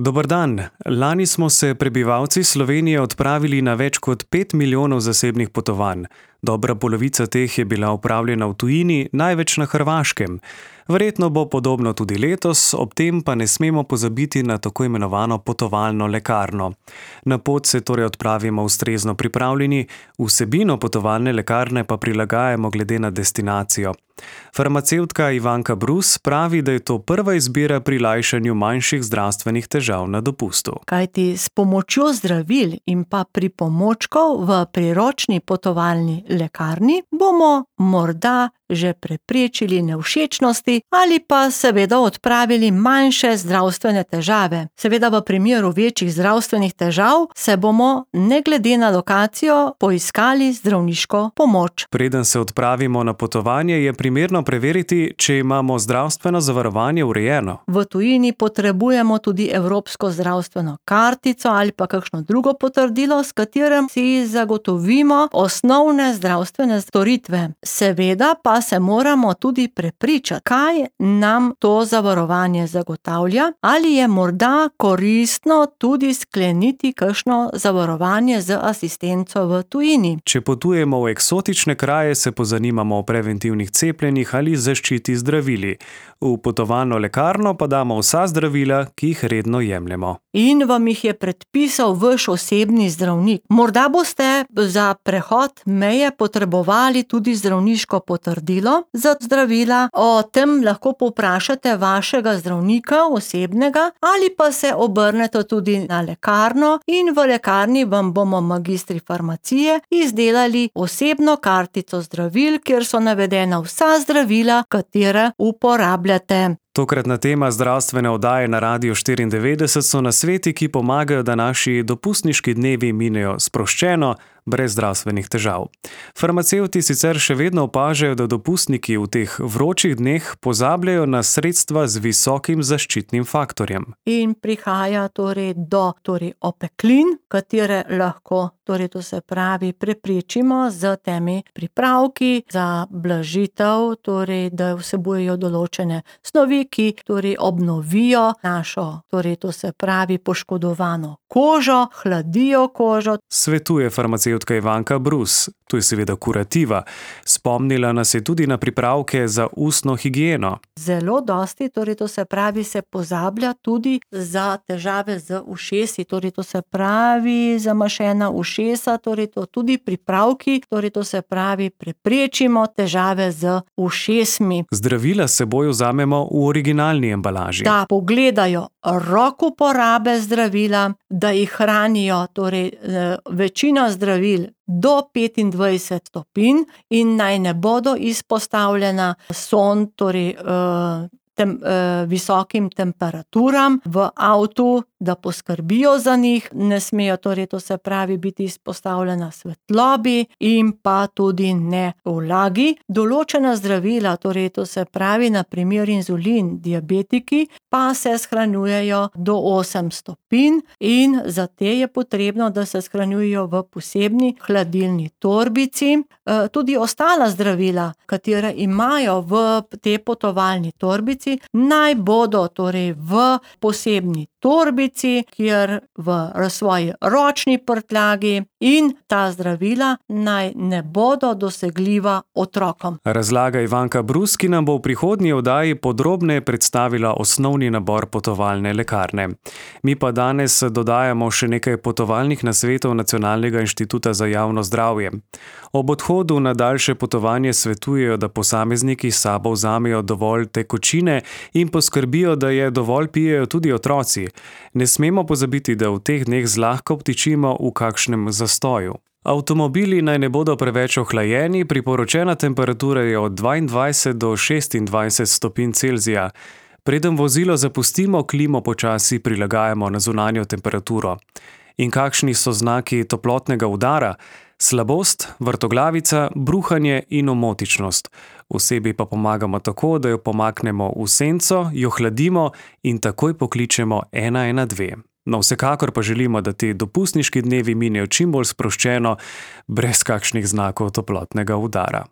Dober dan. Lani smo se prebivalci Slovenije odpravili na več kot 5 milijonov zasebnih potovanj. Dobra polovica teh je bila opravljena v tujini, največ na Hrvaškem. Verjetno bo podobno tudi letos, ob tem pa ne smemo pozabiti na tako imenovano potovalno lekarno. Na pot se torej odpravimo ustrezno pripravljeni, vsebino potovalne lekarne pa prilagajamo glede na destinacijo. Farmacevtka Ivanka Brus pravi, da je to prva izbira pri lajšanju manjših zdravstvenih težav na dopustu. Kajti s pomočjo zdravil in pa pripomočkov v priročni potovalni lekarni bomo morda že preprečili nevšečnosti ali pa seveda odpravili manjše zdravstvene težave. Seveda v primeru večjih zdravstvenih težav se bomo, ne glede na lokacijo, poiskali zdravniško pomoč. Preden se odpravimo na potovanje, je primerno preveriti, če imamo zdravstveno zavarovanje urejeno. V tujini potrebujemo tudi evropsko zdravstveno kartico ali pa kakšno drugo potrdilo, s katerim si zagotovimo osnovne zdravstvene storitve. Seveda pa se moramo tudi prepričati, kaj nam to zavarovanje zagotavlja, ali je morda koristno tudi skleniti kakšno zavarovanje z asistenco v tujini. Če potujemo v eksotične kraje, se pozanimamo o preventivnih cepljenjih ali zaščiti zdravili. V potovalno lekarno pa damo vsa zdravila, ki jih redno jemljemo. In vam jih je predpisal vaš osebni zdravnik. Morda boste za prehod meje potrebovali tudi zdravniško potrdilo za zdravila. O tem lahko povprašate vašega zdravnika osebnega ali pa se obrnete tudi na lekarno in v lekarni vam bomo magistri farmacije izdelali osebno kartico zdravil, kjer so navedena vsa zdravila, katere uporabljate. Tokratna tema zdravstvene oddaje na Radiu 94 so nasveti, ki pomagajo, da naši dopustniški dnevi minejo sproščeno, brez zdravstvenih težav. Farmacevti sicer še vedno opažajo, da dopustniki v teh vročih dneh pozabljajo na sredstva z visokim zaščitnim faktorjem. In prihaja do opeklin, katere lahko, to se pravi, preprečimo z temi pripravki za blažitev, da vsebujejo določene snovi, ki obnovijo našo, to se pravi, poškodovano kožo, hladijo kožo. Svetuje farmacevtka Ivanka Brus. To je seveda kurativa. Spomnila nas je tudi na pripravke za ustno higieno. Zelo dosti, to se pravi, se pozablja tudi za težave z ušesi, to se pravi, zamašena ušesa, to tudi pripravki, to se pravi, preprečimo težave z ušesmi. Zdravila s seboj vzamemo v originalni embalaži. Da pogledajo rok uporabe zdravila, da jih hranijo, večina zdravil do 25 stopinj in naj ne bodo izpostavljena visokim temperaturam v avtu, da poskrbijo za njih, ne smejo to se pravi biti izpostavljena svetlobi in pa tudi ne vlagi. Določena zdravila, to se pravi na primer inzulin, diabetiki, pa se shranjujejo do 8 stopinj in za te je potrebno, da se shranjujejo v posebni hladilni torbici. Tudi ostala zdravila, katera imajo v te potovalni torbici, naj bodo v posebni torbici, kjer v svoji ročni prtljagi, in ta zdravila naj ne bodo dosegljiva otrokom. Razlaga Ivanka Brus, ki nam bo v prihodnji oddaji podrobneje predstavila osnovni nabor potovalne lekarne. Mi pa danes dodajamo še nekaj potovalnih nasvetov Nacionalnega inštituta za javno zdravje. Ob odhodu na daljše potovanje svetujejo, da posamezniki s sabo vzamejo dovolj tekočine in poskrbijo, da je dovolj pijejo tudi otroci. Ne smemo pozabiti, da v teh dneh zlahka obtičimo v kakšnem zastoju. Avtomobili naj ne bodo preveč ohlajeni, priporočena temperatura je od 22 do 26 stopinj Celzija. Preden vozilo zapustimo, klimo počasi prilagajamo na zunanjo temperaturo. In kakšni so znaki toplotnega udara? Slabost, vrtoglavica, bruhanje in omotičnost. Osebi pa pomagamo tako, da jo pomaknemo v senco, jo hladimo in takoj pokličemo 112. No, vsekakor pa želimo, da ti dopustniški dnevi minejo čim bolj sproščeno, brez kakšnih znakov toplotnega udara.